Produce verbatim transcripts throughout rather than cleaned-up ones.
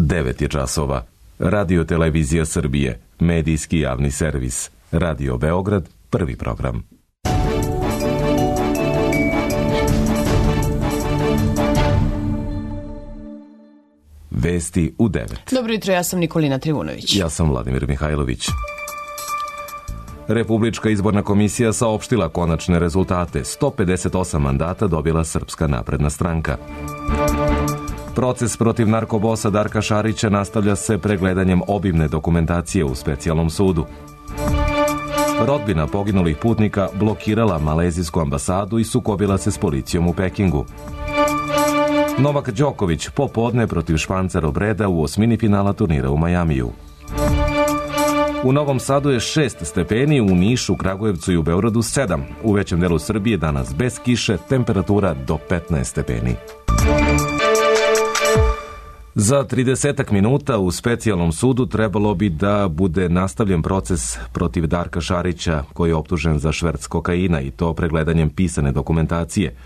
devet je časova. Radio Televizija Srbije, medijski javni servis. Radio Beograd, prvi program. Vesti u devet. Dobro jutro, ja sam Nikolina Trivunović. Ja sam Vladimir Mihajlović. Republička izborna komisija saopštila konačne rezultate. sto pedeset osam mandata dobila Srpska napredna stranka. Proces protiv narkobosa Darka Šarića nastavlja se pregledanjem obimne dokumentacije u specijalnom sudu. Rodbina poginulih putnika blokirala malezijsku ambasadu i sukobila se s policijom u Pekingu. Novak Đoković popodne protiv Španca Robreda u osmini finala turnira u Majamiju. U Novom Sadu je šest stepeni, u Nišu, Kragujevcu i u Beogradu sedam. U većem delu Srbije danas bez kiše, temperatura do petnaest stepeni. Za tridesetak minuta u specijalnom sudu trebalo bi da bude nastavljen proces protiv Darka Šarića, koji je optužen za šverc kokaina i to pregledanjem pisane dokumentacije.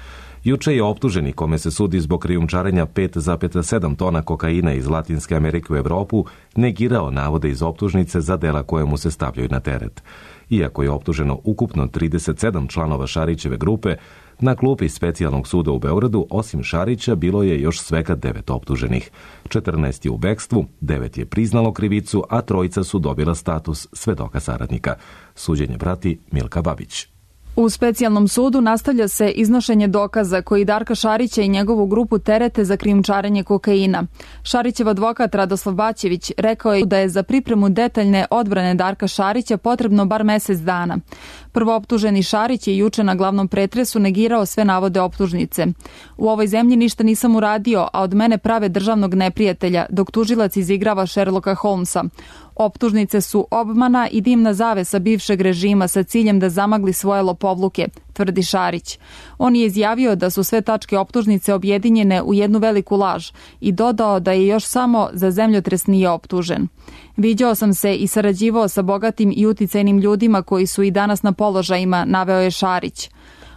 Juče je optuženi, kome se sudi zbog krijumčarenja pet zarez sedam tona kokaina iz Latinske Amerike u Evropu, negirao navode iz optužnice za dela koje mu se stavljaju na teret. Iako je optuženo ukupno trideset sedam članova Šarićeve grupe, na klupi specijalnog suda u Beogradu, osim Šarića, bilo je još svega devet optuženih. četrnaest je u bekstvu, devet je priznalo krivicu, a trojica su dobila status svedoka saradnika. Suđenje prati Milka Babić. U specijalnom sudu nastavlja se iznošenje dokaza koji Darka Šarića i njegovu grupu terete za krijumčarenje kokaina. Šarićev advokat Radoslav Baćević rekao je da je za pripremu detaljne odbrane Darka Šarića potrebno bar mesec dana. Prvooptuženi Šarić je juče na glavnom pretresu negirao sve navode optužnice. U ovoj zemlji ništa nisam uradio, a od mene prave državnog neprijatelja, dok tužilac izigrava Sherlocka Holmesa. Optužnice su obmana i dimna zavesa bivšeg režima sa ciljem da zamagli svoje lopovluke, tvrdi Šarić. On je izjavio da su sve tačke optužnice objedinjene u jednu veliku laž i dodao da je još samo za zemljotres nije optužen. Viđao sam se i sarađivao sa bogatim i uticajnim ljudima koji su i danas na položajima, naveo je Šarić.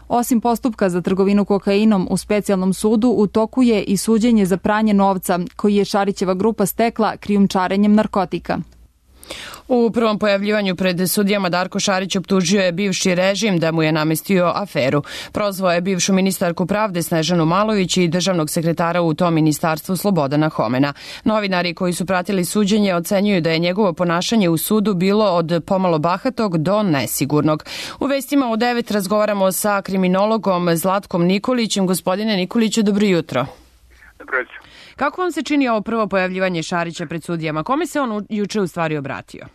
Osim postupka za trgovinu kokainom u specijalnom sudu, u toku je i suđenje za pranje novca koji je Šarićeva grupa stekla krijumčarenjem narkotika. U prvom pojavljivanju pred sudijama Darko Šarić optužio je bivši režim da mu je namestio aferu. Prozvao je bivšu ministarku pravde Snežanu Malović i državnog sekretara u tom ministarstvu Slobodana Homena. Novinari koji su pratili suđenje ocenjuju da je njegovo ponašanje u sudu bilo od pomalo bahatog do nesigurnog. U vestima u devet razgovaramo sa kriminologom Zlatkom Nikolićem. Gospodine Nikoliću, dobro jutro. Dobro jutro. Kako vam se čini ovo prvo pojavljivanje Šarića pred sudijama? Kome se on juče u stvari obratio?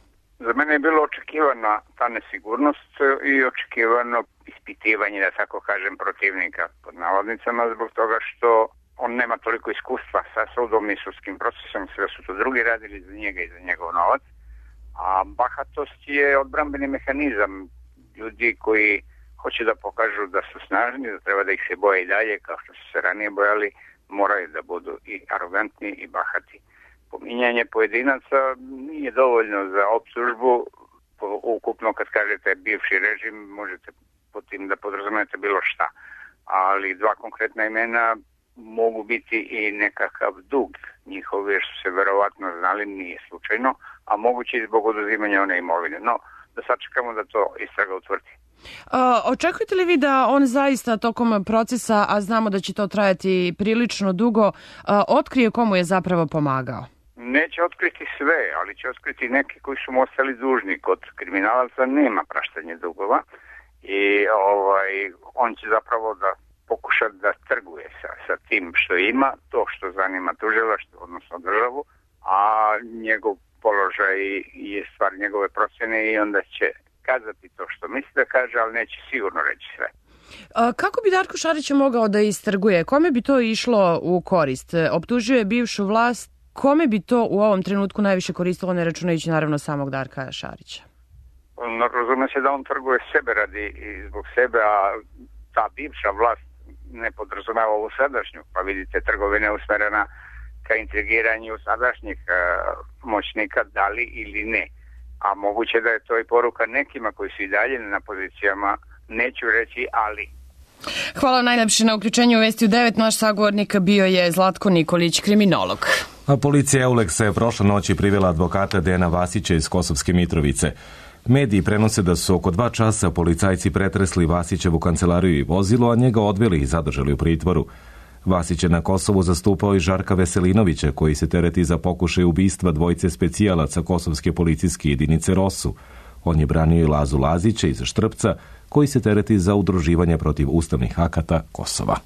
Za mene je bilo očekivana ta nesigurnost i očekivano ispitivanje, da tako kažem, protivnika pod navodnicama, zbog toga što on nema toliko iskustva sa sudom i sudskim procesom, sve su to drugi radili za njega i za njegov novac, a bahatost je odbrambeni mehanizam ljudi koji hoće da pokažu da su snažni, da treba da ih se boje i dalje, kao što su se ranije bojali, moraju da budu i arogantni i bahati. Pominjanje pojedinaca nije dovoljno za optužbu. Ukupno kad kažete bivši režim, možete pod tim da podrazumete bilo šta. Ali dva konkretna imena mogu biti i nekakav dug njihov, jer su se verovatno znali, nije slučajno, a moguće i zbog oduzimanja one imovine. No, da sačekamo da to istraga utvrdi. A, očekujete li vi da on zaista tokom procesa, a znamo da će to trajati prilično dugo, a, otkrije komu je zapravo pomagao? Neće otkriti sve, ali će otkriti neki koji su mu ostali dužni. Kod kriminalaca nema praštanje dugova i ovaj, on će zapravo da pokuša da trguje sa, sa tim što ima, to što zanima tužilaštvo, odnosno državu, a njegov položaj je stvar njegove procjene i onda će kazati to što misli da kaže, ali neće sigurno reći sve. A kako bi Darko Šarić mogao da istrguje? Kome bi to išlo u korist? Optužio je bivšu vlast. Kome bi to u ovom trenutku najviše koristilo, ne računajući naravno samog Darka Šarića? No, razume se da on trguje sebe radi i zbog sebe, a ta bivša vlast ne podrazumeva ovu sadašnju, pa vidite trgovina usmerena ka intrigiranju sadašnjih uh, moćnika, da li ili ne. A moguće da je to i poruka nekima koji su i dalje na pozicijama, neću reći ali. Hvala najlepše na uključenju u Vesti u devet. Naš sagovornik bio je Zlatko Nikolić, kriminolog. A policija Euleksa je prošle noći privela advokata Dejana Vasića iz Kosovske Mitrovice. Mediji prenose da su oko dva časa policajci pretresli Vasićevu kancelariju i vozilo, a njega odveli i zadržali u pritvoru. Vasić je na Kosovu zastupao i Žarka Veselinovića, koji se tereti za pokušaj ubistva dvojice specijalaca kosovske policijske jedinice Rosu. On je branio i Lazu Lazića iz Štrpca, koji se tereti za udruživanje protiv ustavnih akata Kosova.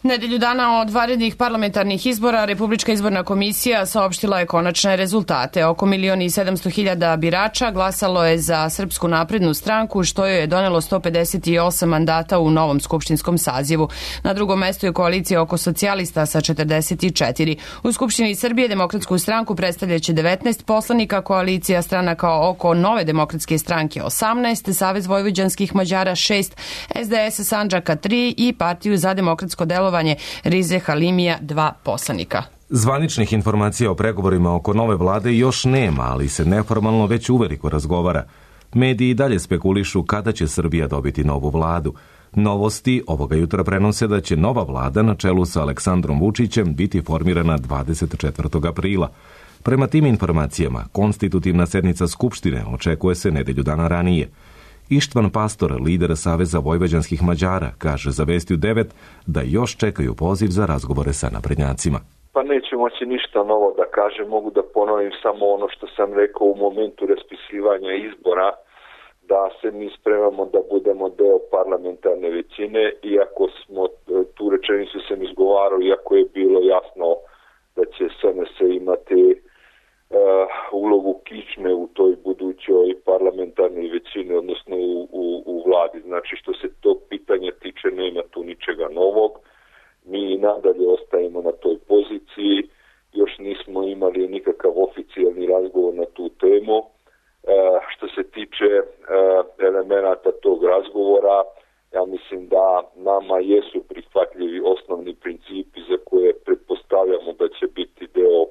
Nedelju dana od vanrednih parlamentarnih izbora Republička izborna komisija saopštila je konačne rezultate. Oko milion i sedamsto hiljada birača glasalo je za Srpsku naprednu stranku, što joj je donelo sto pedeset osam mandata u novom skupštinskom sazivu. Na drugom mestu je koalicija oko socijalista sa četrdeset četiri. U Skupštini Srbije Demokratsku stranku predstavljaće devetnaest poslanika, koalicija stranaka oko Nove demokratske stranke osamnaest, Savez vojvođanskih Mađara šest, S D S Sandžaka tri i Partiju za demokratsko delovanje Rize Halimija dva poslanika. Zvaničnih informacija o pregovorima oko nove vlade još nema, ali se neformalno već uveliko razgovara. Mediji dalje spekulišu kada će Srbija dobiti novu vladu. Novosti ovoga jutra prenose da će nova vlada na čelu sa Aleksandrom Vučićem biti formirana dvadeset četvrtog aprila. Prema tim informacijama, konstitutivna sednica Skupštine očekuje se nedelju dana ranije. Ištvan Pastor, lider Saveza vojvođanskih Mađara, kaže za Vestiju devet da još čekaju poziv za razgovore sa naprednjacima. Pa neću moći ništa novo da kažem, mogu da ponovim samo ono što sam rekao u momentu raspisivanja izbora, da se mi spremamo da budemo deo parlamentarne većine, iako smo tu rečenicu sam izgovarao, iako je bilo jasno da će S N S imati Uh, ulogu kičme u toj budućoj parlamentarnoj većini, odnosno u, u, u vladi. Znači, što se tog pitanja tiče, nema tu ničega novog. Mi nadalje ostajemo na toj poziciji. Još nismo imali nikakav oficijalni razgovor na tu temu. Uh, što se tiče uh, elemenata tog razgovora, ja mislim da nama jesu prihvatljivi osnovni principi za koje pretpostavljamo da će biti deo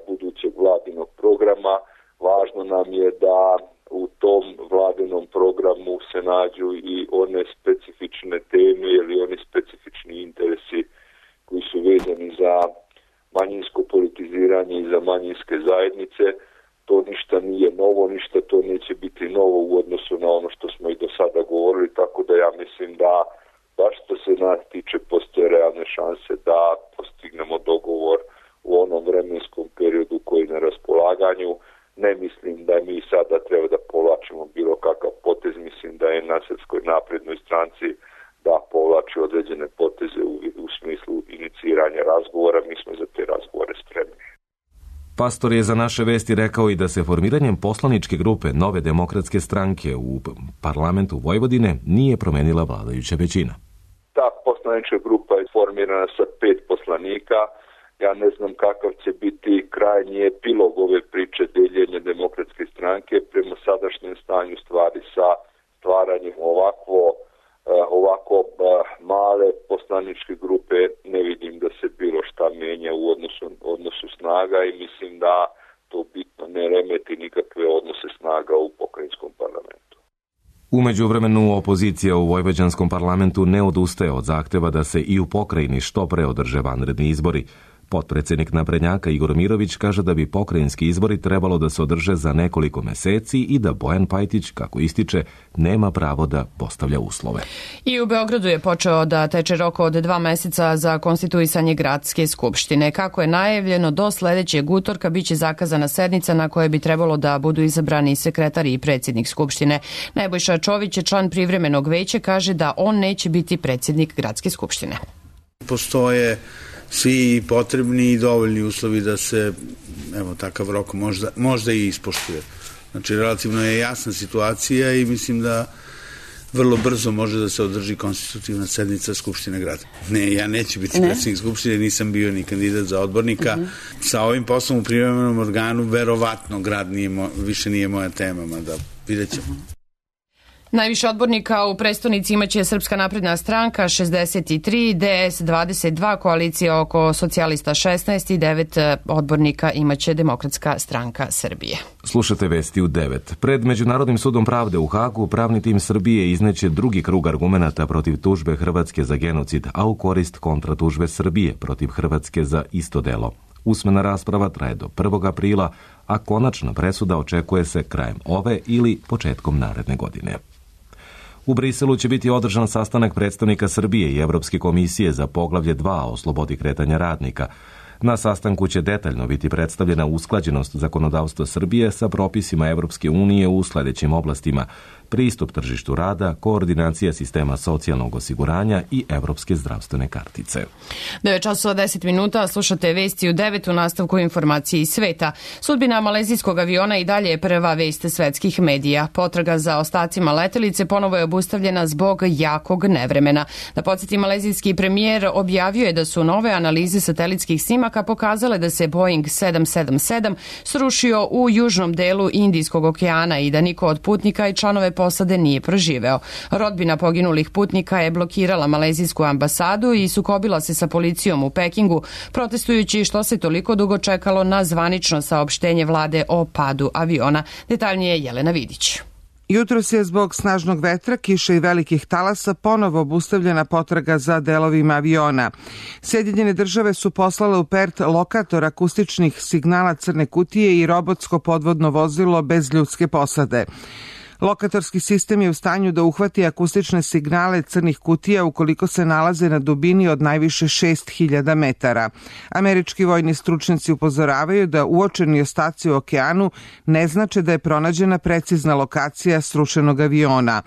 budućeg vladinog programa. Važno nam je da u tom vladinom programu se nađu i one specifične teme ili oni specifični interesi koji su vezani za manjinsko politiziranje i za manjinske zajednice. To ništa nije novo, ništa to neće biti novo u odnosu na ono što smo i do sada govorili, tako da ja mislim da baš što se nas tiče postoje realne šanse da postignemo dogovor u onom vremenskom periodu koji je na raspolaganju. Ne mislim da mi sada treba da povlačimo bilo kakav potez, mislim da je na Srpskoj naprednoj stranci da povlači određene poteze u, u smislu iniciranja razgovora, mi smo za te razgovore spremni. Pastor je za naše vesti rekao i da se formiranjem poslaničke grupe Nove demokratske stranke u parlamentu Vojvodine nije promenila vladajuća većina. Ta poslanička grupa je formirana sa pet poslanika. Ja ne znam kakav će biti krajnji epilog ove priče deljenja demokratske stranke prema sadašnjem stanju stvari sa stvaranjem ovakvo, ovako male poslaničke grupe. Ne vidim da se bilo šta menja u odnosu, odnosu snaga i mislim da to bitno ne remeti nikakve odnose snaga u pokrajinskom parlamentu. U međuvremenu opozicija u vojvođanskom parlamentu ne odustaje od zahteva da se i u pokrajini što pre održe vanredni izbori. Potpredsjednik naprednjaka Igor Mirović kaže da bi pokrajinski izbori trebalo da se održe za nekoliko meseci i da Bojan Pajtić, kako ističe, nema pravo da postavlja uslove. I u Beogradu je počeo da teče rok od dva meseca za konstituisanje gradske skupštine. Kako je najavljeno, do sledećeg utorka biće zakazana sednica na kojoj bi trebalo da budu izabrani sekretar i predsjednik skupštine. Nebojša Čović je član privremenog veća, kaže da on neće biti predsjednik gradske skupštine. Postoje svi potrebni i dovoljni uslovi da se, evo, takav rok možda, možda i ispoštuje. Znači, relativno je jasna situacija i mislim da vrlo brzo može da se održi konstitutivna sednica Skupštine grada. Ne, ja neću biti ne. predsjednik Skupštine, nisam bio ni kandidat za odbornika. Uh -huh. Sa ovim poslom u privremenom organu, verovatno grad nije mo, više nije moja tema, mada vidjet ćemo. Uh -huh. Najviše odbornika u prestonici imaće Srpska napredna stranka šezdeset tri, D S dvadeset dva, koalicija oko socijalista šesnaest i devet odbornika imaće Demokratska stranka Srbije. Slušate vesti u devet. Pred Međunarodnim sudom pravde u Hagu pravni tim Srbije izneće drugi krug argumenata protiv tužbe Hrvatske za genocid, a u korist kontratužbe Srbije protiv Hrvatske za isto delo. Usmena rasprava traje do prvog aprila, a konačna presuda očekuje se krajem ove ili početkom naredne godine. U Briselu će biti održan sastanak predstavnika Srbije i Evropske komisije za poglavlje dva o slobodi kretanja radnika. Na sastanku će detaljno biti predstavljena usklađenost zakonodavstva Srbije sa propisima Evropske unije u sledećim oblastima: pristup tržištu rada, koordinacija sistema socijalnog osiguranja i evropske zdravstvene kartice. devet časova deset minuta, slušate vesti u devet, u nastavku informacije iz sveta. Sudbina malezijskog aviona i dalje je prva vest svetskih medija. Potraga za ostacima letelice ponovo je obustavljena zbog jakog nevremena. Da podsjeti, malezijski premijer objavio je da su nove analize satelitskih snimaka pokazale da se Boeing sedam sedam sedam srušio u južnom delu Indijskog okeana i da niko od putnika i članove posade nije preživeo. Rodbina poginulih putnika je blokirala malezijsku ambasadu i sukobila se sa policijom u Pekingu, protestujući što se toliko dugo čekalo na zvanično saopštenje vlade o padu aviona. Detaljnije Jelena Vidić. Jutros je zbog snažnog vetra, kiše i velikih talasa ponovo obustavljena potraga za delovima aviona. Sjedinjene države su poslale u Pert lokator akustičnih signala crne kutije i robotsko podvodno vozilo bez ljudske posade. Lokatorski sistem je u stanju da uhvati akustične signale crnih kutija ukoliko se nalaze na dubini od najviše šest hiljada metara. Američki vojni stručnjaci upozoravaju da uočeni ostaci u okeanu ne znače da je pronađena precizna lokacija srušenog aviona.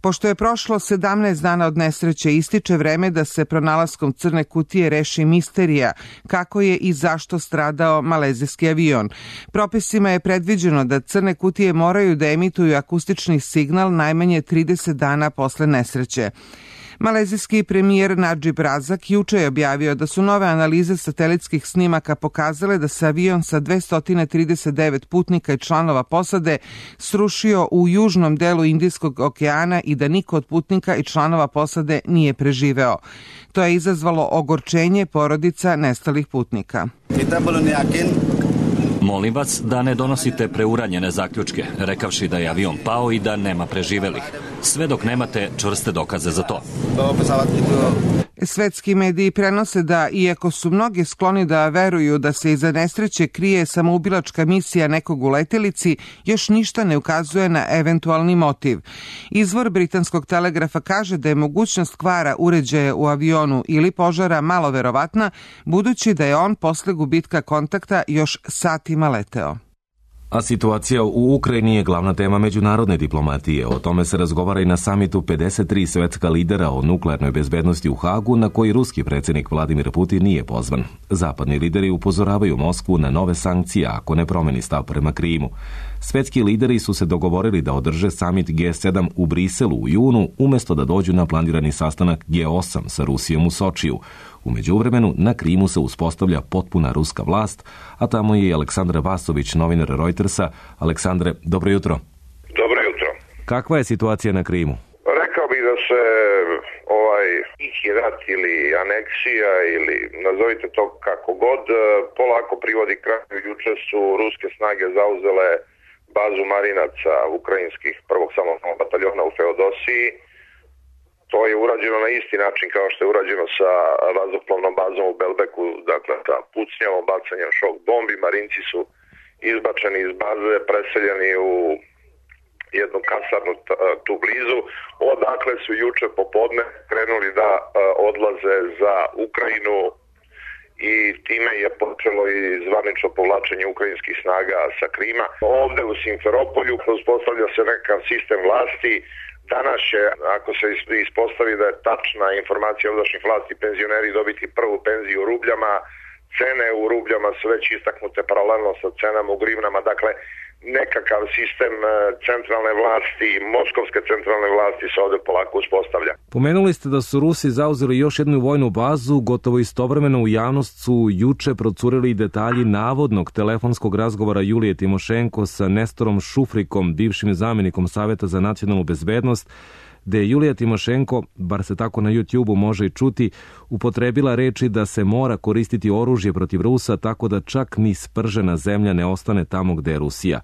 Pošto je prošlo sedamnaest dana od nesreće, ističe vreme da se pronalaskom crne kutije reši misterija kako je i zašto stradao malezijski avion. Propisima je predviđeno da crne kutije moraju da emituju akustični signal najmanje trideset dana posle nesreće. Malezijski premijer Nadžib Razak juče je objavio da su nove analize satelitskih snimaka pokazale da se avion sa dvesta trideset devet putnika i članova posade srušio u južnom delu Indijskog okeana i da niko od putnika i članova posade nije preživeo. To je izazvalo ogorčenje porodica nestalih putnika. Molim vas da ne donosite preuranjene zaključke, rekavši da je avion pao i da nema preživelih, sve dok nemate čvrste dokaze za to. Svetski mediji prenose da, iako su mnogi skloni da veruju da se iza nesreće krije samoubilačka misija nekog u letelici, još ništa ne ukazuje na eventualni motiv. Izvor britanskog telegrafa kaže da je mogućnost kvara uređaja u avionu ili požara malo verovatna, budući da je on posle gubitka kontakta još satima leteo. A situacija u Ukrajini je glavna tema međunarodne diplomatije. O tome se razgovara i na samitu pedeset tri svetska lidera o nuklearnoj bezbednosti u Hagu, na koji ruski predsjednik Vladimir Putin nije pozvan. Zapadni lideri upozoravaju Moskvu na nove sankcije ako ne promeni stav prema Krimu. Svetski lideri su se dogovorili da održe samit G sedam u Briselu u junu, umjesto da dođu na planirani sastanak G osam sa Rusijom u Sočiju. U međuvremenu, na Krimu se uspostavlja potpuna ruska vlast, a tamo je i Aleksandar Vasović, novinar Reutersa. Aleksandre, dobro jutro. Dobro jutro. Kakva je situacija na Krimu? Rekao bih da se ovaj tihi rat ili aneksija ili nazovite to kako god polako privodi kraju. Juče su ruske snage zauzele bazu marinaca ukrajinskih prvog samostalnog bataljona u Feodosiji. To je urađeno na isti način kao što je urađeno sa vazduhoplovnom bazom u Belbeku, dakle sa pucnjavom, bacanjem šok bombi. Marinci su izbačeni iz baze, preseljeni u jednu kasarnu tu blizu, odakle su juče popodne krenuli da odlaze za Ukrajinu i time je počelo i zvanično povlačenje ukrajinskih snaga sa Krima. Ovde u Simferopolju uspostavlja se nekakav sistem vlasti. Danas će, ako se ispostavi da je tačna informacija ovdašnjih vlasti, penzioneri dobiti prvu penziju u rubljama, cene u rubljama su već istaknute paralelno sa cenama u grivnama, dakle nekakav sistem centralne vlasti, moskovske centralne vlasti se ovde polako uspostavlja. Pomenuli ste da su Rusi zauzeli još jednu vojnu bazu, gotovo istovremeno u javnost su juče procurili detalji navodnog telefonskog razgovora Julije Timošenko sa Nestorom Šufrikom, bivšim zamjenikom Saveta za nacionalnu bezbednost, gde je Julija Timošenko, bar se tako na YouTubeu može i čuti, upotrebila reči da se mora koristiti oružje protiv Rusa tako da čak ni spržena zemlja ne ostane tamo gde je Rusija.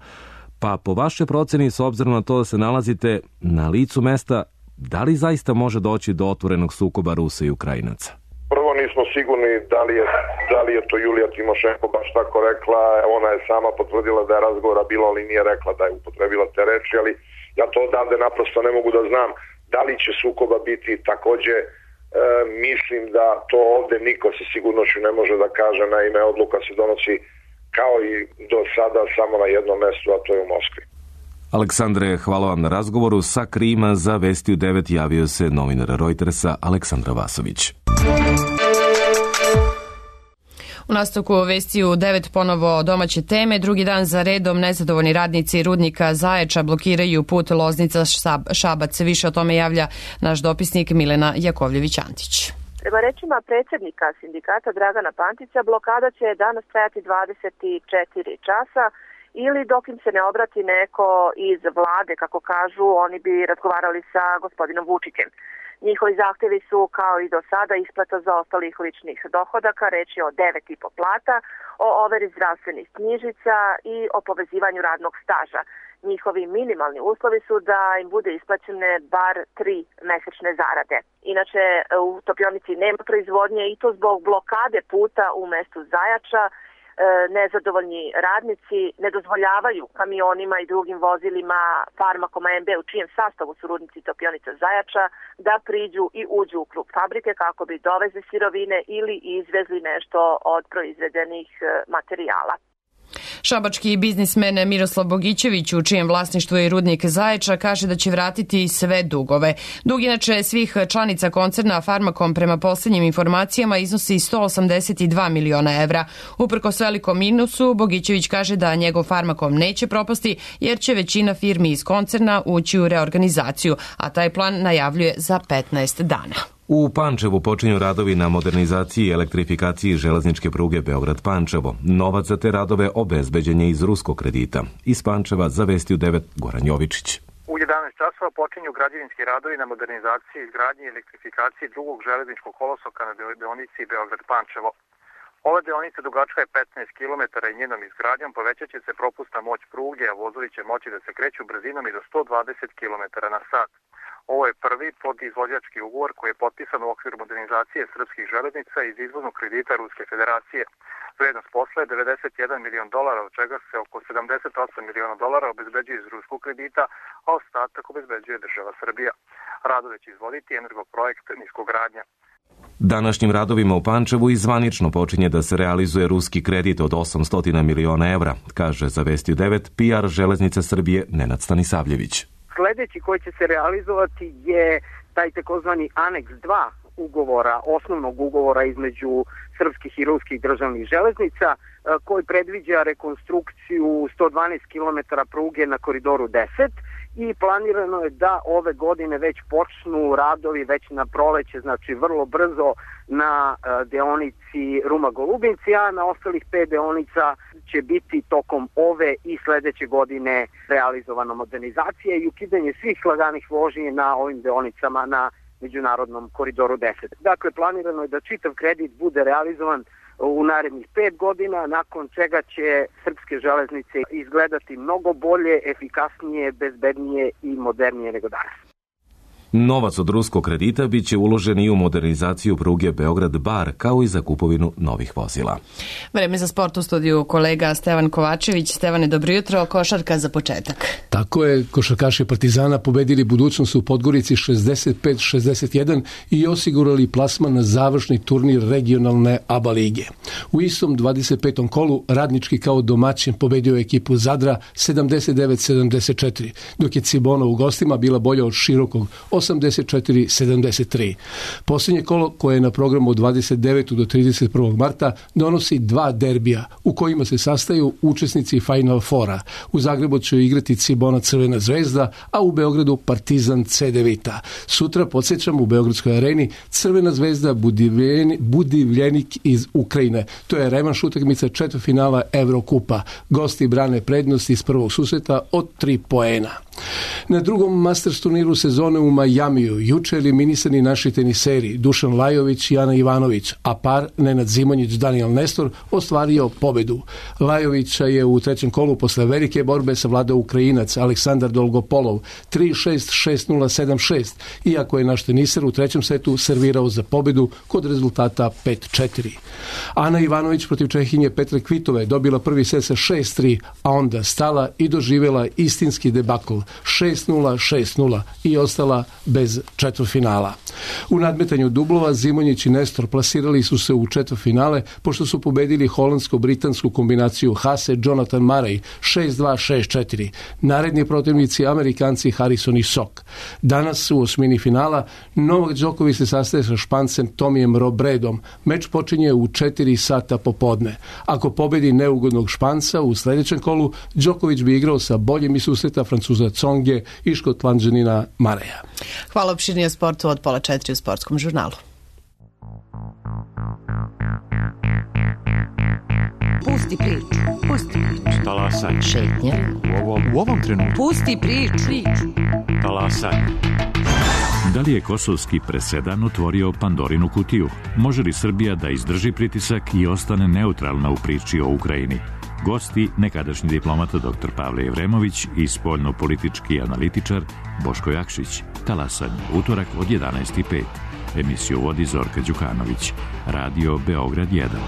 Pa po vašoj proceni, s obzirom na to da se nalazite na licu mesta, da li zaista može doći do otvorenog sukoba Rusa i Ukrajinaca? Prvo nismo sigurni da li je, da li je to Julija Timošenko baš tako rekla. Ona je sama potvrdila da je razgovora bilo, ali nije rekla da je upotrebila te reči, ali ja to odavde naprosto ne mogu da znam. Da li će sukoba biti, takođe e, mislim da to ovde niko sa sigurnošću ne može da kaže, naime odluka se donosi kao i do sada samo na jednom mestu, a to je u Moskvi. Aleksandre, hvala vam na razgovoru. Sa Krima za Vesti u devet javio se novinar Reutersa Aleksandra Vasović. U nastavku vesti u devet ponovo domaće teme. Drugi dan za redom nezadovoljni radnici rudnika Zaječa blokiraju put Loznica-Šabac. Više o tome javlja naš dopisnik Milena Jakovljević-Antić. Prema rečima predsjednika sindikata Dragana Pantića, blokada će danas trajati dvadeset četiri časa ili dok im se ne obrati neko iz vlade, kako kažu, oni bi razgovarali sa gospodinom Vučićem. Njihovi zahtjevi su, kao i do sada, isplata zaostalih ličnih dohodaka, reč je o devet i po plata, o overi zdravstvenih knjižica i o povezivanju radnog staža. Njihovi minimalni uslovi su da im bude isplaćene bar tri mesečne zarade. Inače, u topionici nema proizvodnje i to zbog blokade puta u mestu Zajača. Nezadovoljni radnici ne dozvoljavaju kamionima i drugim vozilima Farmakom A M B u čijem sastavu su rudnici Topionica Zajača da priđu i uđu u krug fabrike kako bi dovezli sirovine ili izvezli nešto od proizvedenih materijala. Šabački biznismen Miroslav Bogićević, u čijem vlasništvu je rudnik Zaječa, kaže da će vratiti sve dugove. Dug inače svih članica koncerna Farmakom prema posljednjim informacijama iznosi sto osamdeset dva miliona evra. Uprkos velikom minusu, Bogićević kaže da njegov Farmakom neće propasti jer će većina firmi iz koncerna ući u reorganizaciju, a taj plan najavljuje za petnaest dana. U Pančevu počinju radovi na modernizaciji i elektrifikaciji železničke pruge Beograd-Pančevo. Novac za te radove obezbeđen je iz ruskog kredita. Iz Pančeva za Vesti u devet Goran Jovičić. U jedanaest časova počinju građevinski radovi na modernizaciji, izgradnji i elektrifikaciji drugog železničkog kolosoka na deonici Beograd-Pančevo. Ova deonica dugačka je petnaest kilometara i njenom izgradnjom povećat će se propusna moć pruge, a vozovi će moći da se kreću brzinom i do sto dvadeset kilometara na sat. Ovo je prvi podizvođački ugovor koji je potpisan u okviru modernizacije srpskih železnica iz izvoznog kredita Ruske federacije. Vrednost posla je devedeset jedan milion dolara, od čega se oko sedamdeset osam miliona dolara obezbeđuje iz ruskog kredita, a ostatak obezbeđuje država Srbija. Radove će izvoditi Energoprojekt Niskogradnja. Današnjim radovima u Pančevu i zvanično počinje da se realizuje ruski kredit od osamsto miliona evra, kaže za Vesti u devet P R Železnice Srbije Nenad Stanisavljević. Sledeći koji će se realizovati je taj takozvani aneks dva ugovora, osnovnog ugovora između srpskih i ruskih državnih železnica, koji predviđa rekonstrukciju sto dvanaest kilometara pruge na koridoru deset i planirano je da ove godine već počnu radovi već na proleće, znači vrlo brzo na deonici Ruma-Golubinci, a na ostalih pet deonica će biti tokom ove i sledeće godine realizovana modernizacija i ukidanje svih laganih vožnji na ovim deonicama na međunarodnom koridoru deset. Dakle, planirano je da čitav kredit bude realizovan u narednih pet godina, nakon čega će srpske železnice izgledati mnogo bolje, efikasnije, bezbednije i modernije nego danas. Novac od ruskog kredita bit će uložen i u modernizaciju pruge Beograd-Bar, kao i za kupovinu novih vozila. Vreme za sport u studiju kolega Stevan Kovačević. Stevane, dobro jutro, košarka za početak. Tako je, košarkaši Partizana pobedili Budućnost u Podgorici šezdeset pet šezdeset jedan i osigurali plasman na završni turnir regionalne A B A lige. U istom dvadeset petom kolu Radnički kao domaćin pobedio ekipu Zadra sedamdeset devet sedamdeset četiri, dok je Cibona u gostima bila bolja od Širokog osamdeset četiri sedamdeset tri. Posljednje kolo koje je na programu od dvadeset devetog do trideset prvog marta donosi dva derbija u kojima se sastaju učesnici Final Fora. U Zagrebu će igrati Cibona Crvena zvezda, a u Beogradu Partizan C D Vita. Sutra, podsjećam, u Beogradskoj areni Crvena zvezda Budivljenik iz Ukrajine. To je revanš utakmica četvrtfinala Evrokupa. Gosti brane prednost iz prvog susreta od tri poena. Na drugom Masters turniru sezone u Majamiju juče eliminisani naši teniseri Dušan Lajović i Ana Ivanović, a par Nenad Zimonjić Daniel Nestor ostvario pobedu. Lajovića je u trećem kolu posle velike borbe savladao Ukrajinac Aleksandar Dolgopolov tri šest, šest nula, sedam šest, iako je naš teniser u trećem setu servirao za pobedu kod rezultata pet četiri. Ana Ivanović protiv Čehinje Petre Kvitove dobila prvi set sa šest tri, a onda stala i doživjela istinski debakl šest nula, šest nula i ostala bez četvrtfinala. U nadmetanju dublova Zimonjić i Nestor plasirali su se u četvrtfinale pošto su pobedili holandsko-britansku kombinaciju Hase Jonathan Murray šest dva, šest četiri. Naredni protivnici Amerikanci Harrison i Sok. Danas u osmini finala Novak Đoković se sastaje sa Špancem Tomijem Robredom. Meč počinje u četiri sata popodne. Ako pobedi neugodnog Španca u sljedećem kolu, Đoković bi igrao sa boljim iz susreta Francuza Tsonge i Škotlanđanina Mareja. Hvala, opširnije o sportu od pola četiri u Sportskom žurnalu. Pusti priču, pusti priču. Talasaj. Šetnje. U ovom, u ovom trenutku. Pusti priču. Talasaj. Da li je kosovski presedan otvorio Pandorinu kutiju? Može li Srbija da izdrži pritisak i ostane neutralna u priči o Ukrajini? Gosti, nekadašnji diplomata doktor Pavle Jevremović i spoljno-politički analitičar Boško Jakšić. Talasanje, utorak od jedanaest i pet. Emisiju vodi Zorka Đukanović. Radio Beograd jedan.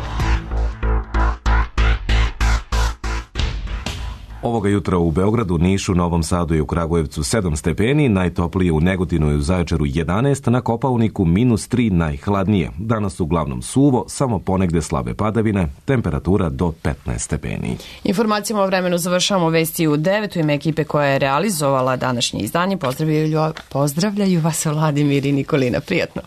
Ovoga jutra u Beogradu, Nišu, Novom Sadu i u Kragujevcu sedam stepeni, najtoplije u Negotinu i u Zaječaru jedanaest, na Kopaoniku minus tri, najhladnije. Danas uglavnom suvo, samo ponegde slabe padavine, temperatura do petnaest stepeni. Informacijama o vremenu završavamo vesti u devet. U ime ekipe koja je realizovala današnje izdanje. Pozdravljaju, pozdravljaju vas Vladimir i Nikolina. Prijatno.